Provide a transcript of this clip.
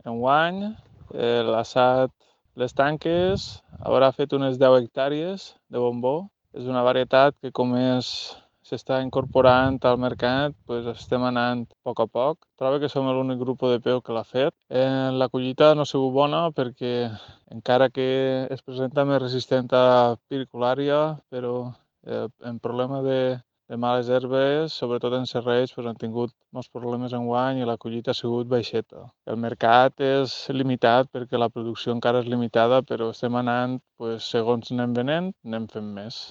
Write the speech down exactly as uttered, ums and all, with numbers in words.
enguany. Eh, L'ha assat les tanques, haurà fet unes deu hectàrees de bombó. És una varietat que com és s'està incorporant al mercat, pues estem anant a poc a poc. Trobo que som l'únic grup de peu que l'ha fet. Eh, la collita no ha sigut bona perquè encara que es presenta més resistent a piriculària, però eh, en problema de, de males herbes, sobretot en serrells, pues han tingut molts problemes enguany i la collita ha sigut baixeta. El mercat és limitat perquè la producció encara és limitada, però estem anant, pues, segons anem venent, anem fent més.